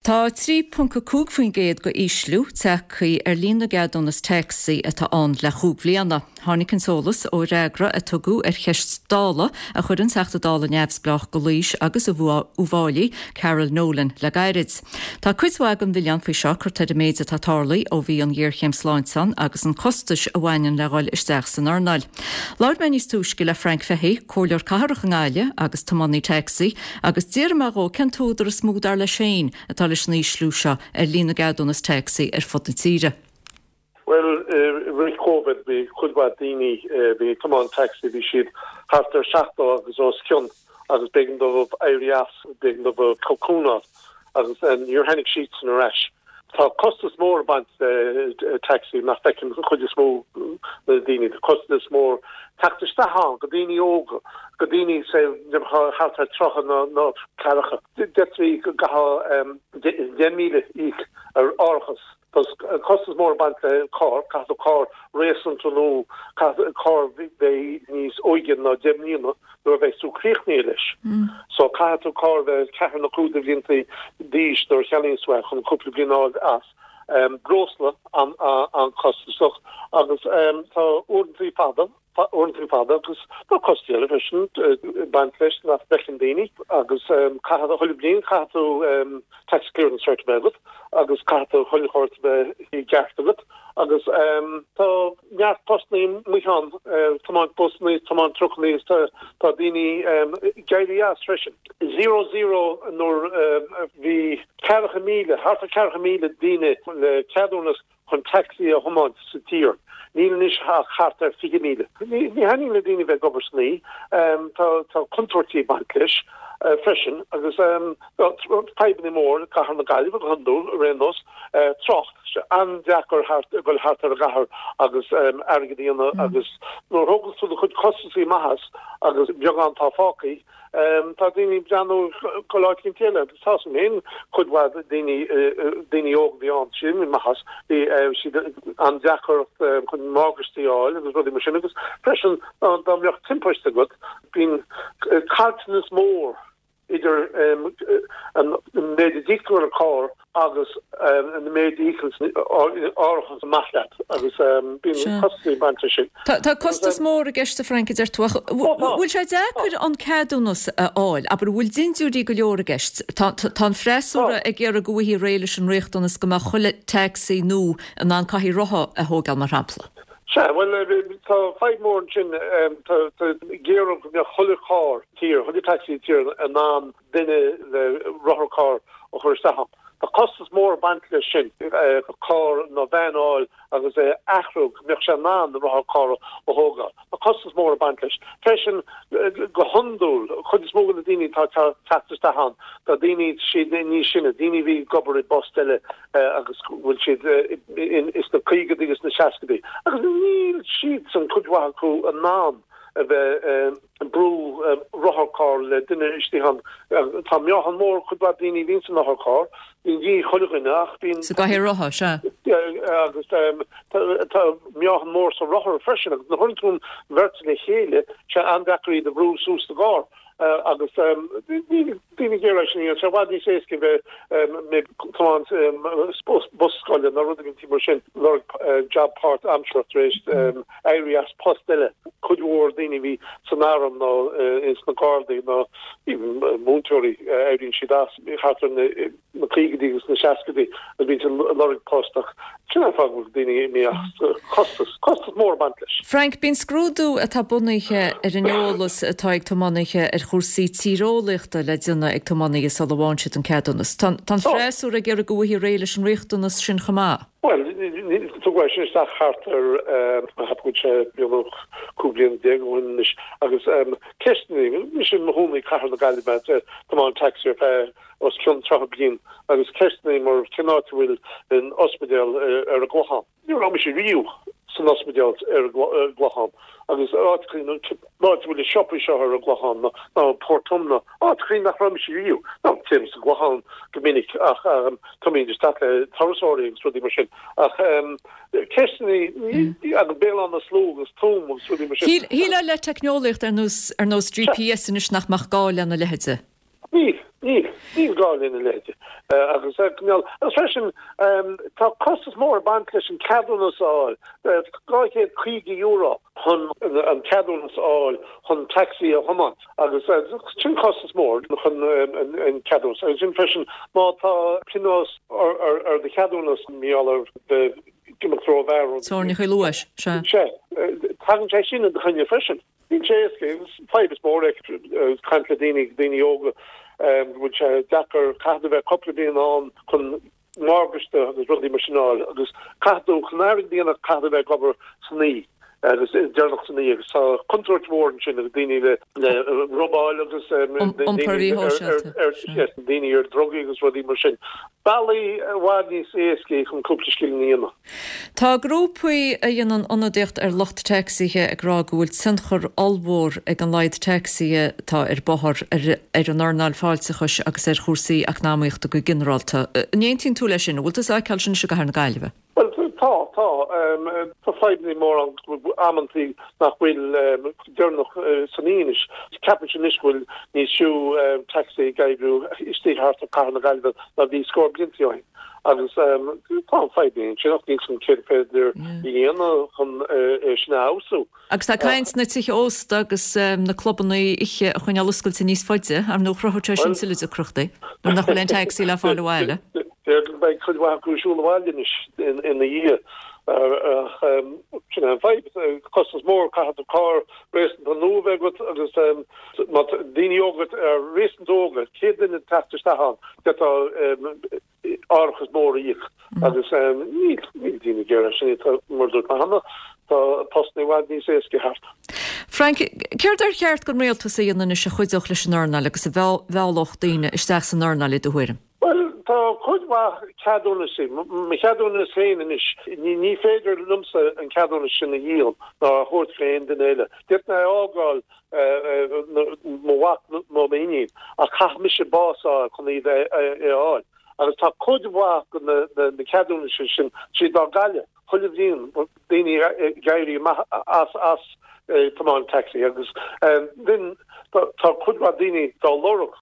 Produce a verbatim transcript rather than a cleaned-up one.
Tá trí ponc a cúig faoin gcéad go ísliú tagtha ar líon na gceadúnas tacsaí atá ann le chúig bhliana. Tháinig an t-eolas ó fhreagra a tugadh ar cheist Dála a chuir an Teachta Dála neamhspleách go Laois agus Uíbh Fhailí, Carol Nolan, le gairid. Tá cuid mhaith den mhilleán faoi seo curtha ar an méid atá tarlaithe ó bhí an ghéarchéim sláinte ann agus an costais a bhaineann le dhul isteach san earnáil. Labhair mé níos túisce le Frank Fahey, comhairleoir cathrach i nGaillimh agus tiománaí tacsaí, agus d'fhiafraigh mé dhó cén t-údar is mó dar leis féin atá leis an ísliú seo ar líon na gceadúnas tacsaí ar fud na tíre. Well, rith Covid bhí cuid mhaith daoine bhí ag tiomáint taxi bhí siad thart ar seachtó agus os cionn agus b'éigean dóibh éirí as b'éigean dóibh cocúnáil agus níor tháinig siadsan ar ais. Tá costas mór ag baint le taxi nach bhfeiceann chuid is mó na daoine, tá costas mór teacht isteach ann go daoine óga, go daoine thart ar tríocha nó ceathracha. D'fhéadfaí go gcaithfeá deich míle íoc ar árachas. Tá costas mór ag baint le carr, caithfidh tú carr réasúnta nó carr bheith níos óige ná deich mbliana nuair a bheidh tú críochnaithe leis. So caithfidh tú carr bheith ceathair nó cúig de bhlianta d'aois nuair a cheannaíonn tú é chun cúpla bliain a fháil as. Breosla an-chostasach agus tá uaireanta fada uaireanta fada agus tá costais eile freisin ag baint leis nach bhfeiceann daoine agus caithfidh chuile bliain caithfidh tú taxi clearance cert a bheith agat agus caithfidh tú chuile shórt a bheith i gceart agat agus tá neart postanna amuigh ann tiomáint busanna tiomáint trucanna tá daoine ag éirí as freisin. Zero zero nuair bhí ceathracha míle thart ar ceathracha míle daoine le ceadúnas chun taxi a thiomáint sa tír. Níl anois ach thart ar fiche míle. Ní thaitníonn le daoine bheith ag obair san oíche, tá contúirtí ag baint leis freisin agus fadhbanna mór i gcathair na Gaillimhe go hiondúil ar aon nós, trácht, an-deacair dul thart ar an gcathair agus airgead a dhéanamh agus nuair a thógann tú do chuid costasaí amach as agus beagán atá fágtha, Tá daoine ag breathnú go áit éicint eile agus tá san féin cuid mhaith daoine daoine óga bhí ann sin amach as bhí siad an-deacair chun morgáistí a fháil agus rudaí mar sin agus freisin dá mbeadh timpiste agat bíonn caillteanas mór idir an méid a d'íoc tú ar an carr agus an méid a íocann árachas amach leat agus bíonn costas ag baint leis sin. Tá costas mór i gceist a Frank a deir tú ach bhfuil sé deacair an ceadúnas a fháil? Abair bhfuil dindiúirí go leor i gceist? Tá an freasúra ag iarraidh go bhfaighfí réidh leis an riachtanas go mbeadh chuile taxi nua in ann cathaoir rotha a thógáil mar shampla. Sea, bhuel tá fadhb mór ansin tá ag iarraidh go mbeadh chuile charr tír, chuile taxi tír in ann duine le rotharcharr a chur isteach ann. Tá costas mór ag baint leis sin, carr nó veain a fháil agus é a athrú go mbeadh sé in ann rotharcharr a thógáil. Tá costas mór ag baint leis. Freisin, go hiondúil, chuid is mó de na daoine atá ag teacht isteach ann, tá daoine siad níos sine, daoine a bhí ag obair i bpost eile agus go bhfuil siad sna caogaidí agus sna seascaidí. Agus níl siadsan, cuid mhaith acu, in ann a bheith ag brú rotharcharr le duine istigh ann. Tá meáchan mór cuid mhaith daoine a bhíonn san otharcharr, bíonn de dhíth chuile dhuine ach bíonn. Sa gcathaoir rotha, sea. Agus tá meáchan mór sa rothar freisin agus nuair a chuireann tú an bheirt le chéile, sé an-deacair iad a bhrú suas sa gcarr. Agus níl daoine ag iarraidh sin a dhéanamh, sé i bhfad níos éasca bheith ag tiomáint bus scoile nó rud éigin mar sin, lorg jab páirtaimseartha tar éis éirí as post eile. Cuid mhór daoine a bhí san arm nó ins na Gardaí nó even múinteoirí, éiríonn siad as thart ar na caogaidí agus na seascaidí agus bíonn siad ag lorg post ach sin an fáth go bhfuil daoine imithe as, costas, costas mór ag baint leis. Frank, Bíonn scrúdú atá bunaithe ar an eolas atá ag tiománaithe ar chúrsaí tíreolaíochta le déanamh ag tiománaithe sula bhfaigheann siad an ceadúnas. Tá an freasúra ag iarraidh go bhfaighfí réidh leis an riachtanas sin chomh maith. Bhuel, tugadh é sin isteach thart ar, cheap go bhfuil sé beagnach cúig bliana déag ó shin anois, agus ceisteanna, mise i mo chónaí i gcathair na Gaillimhe, ag tiomáint taxi ar feadh os cionn tríocha bliain, agus ceisteanna mar cén áit a bhfuil an ospidéal ar an gClochán. Ní raibh mise riamh san ospidéal ar an gClochán agus áit an áit a bhfuil na siopaí seo ar an gClochán nó Portumna, áiteachaí nach raibh mise riamh. Nó téim sa gClochán go minic ach táimid isteach le turasóirí agus rudaí mar sin. Ach ceisteanna agus Béal Átha na Sluaighe agus Tuaim agus rudaí mar sin. Shílfeá le teicneolaíocht ar nós ar nós GPS anois nach mbeadh gá lena leithéide. Níl. Níl, níl gá lena leithéid. Agus agus freisin tá costas mór ag baint leis an ceadúnas a fháil, dhá chéad caoga euro chun an ceadúnas a fháil chun taxi a thiomáint agus sin costas mór chun an ceadúnas. Agus sin freisin má tá pionós ar do cheadúnas mar gheall ar imeacht rómhear. Teorainneacha luais, sea. Sea, tagann sé sin i do choinne freisin. Níl sé éasca, fadhb is mór é caint le daoine, daoine óga, go bhfuil sé deacair, caithfidh tú bheith cúpla bliain ann chun morgáiste agus rudaí mar sin a fháil agus caithfidh tú, chun airgead a dhéanamh caithfidh tú bheith ag obair san oíche agus deireanach san oíche agus tá contúirt mhór ansin agus daoine le le robáil agus Iompar mhíshóisialta. daoine ar drugaí agus rudaí mar sin. Bealaí i bhfad níos éascaí chun cúpla scilling a dhéanamh. Tá grúpaí a dhéanann ionadaíocht ar lucht tacsaithe ag rá go bhfuil tionchar ollmhór ag an laghad tacsaithe atá ar bóthar ar an earnáil fáilteachais agus ar chúrsaí eacnamaíochta go ginearálta. An aontaíonn tú leis sin? An bhfuil tú ag feiceáil sin i gCathair na Gaillimhe? Bhuel, tá, tá. Tá fadhbanna mór ann amantaí nach bhfuil deireanach san oíche anois. Ceapaimse anois go bhfuil níos siú tacsaí ag oibriú istigh thart ar Cathair na Gaillimhe ná bhí scór blianta ó shin. Agus tá an fadhb ansin ach níl san céard féidir a dhéanamh chun é sin a fheabhsú. Agus tá caint na tithe ósta agus na clubanna oíche a choinneáil oscailte níos faide, ar ndóigh chruthódh sé sin tuilleadh deacrachtaí nuair nach bhfuil aon tacsaí le fáil abhaile. Beidh cuid mhaith acu ag siúl abhaile anois ina dhiaidh. Ach sin é an fadhb. Costas mór, caithfidh tú carr réasúnta nua a bheith agat agus má tá daoine óga, réasúnta óga, céad duine ag teacht isteach ann, d'fhéadfá árachas mór a íoc agus níl níl daoine ag iarraidh sin, tá mar a dúirt mé cheana, tá postanna i bhfad níos éasca thart. Frank, céard ar cheart don rialtas a dhéanamh anois a chuideodh leis an earnáil agus a mheallfadh daoine isteach san earnáil i do thuairim? Bhuel, tá cuid mhaith ceadúnaisí. Mo cheadúnas féin anois, ní ní féidir liomsa an ceadúnas sin a dhíol ná a thabhairt go aon duine eile. D'fhéadfainn é a fhágáil mo mhac nó m'iníon ach caithfidh mise bás a fháil chun iad a fháil. Agus tá cuid mhaith de na ceadúnaisí sin, siad á gcailleadh chuile bhliain, daoine ag éirí amach as as tiomáint tacsaí agus then tá cuid mhaith daoine dá lorg.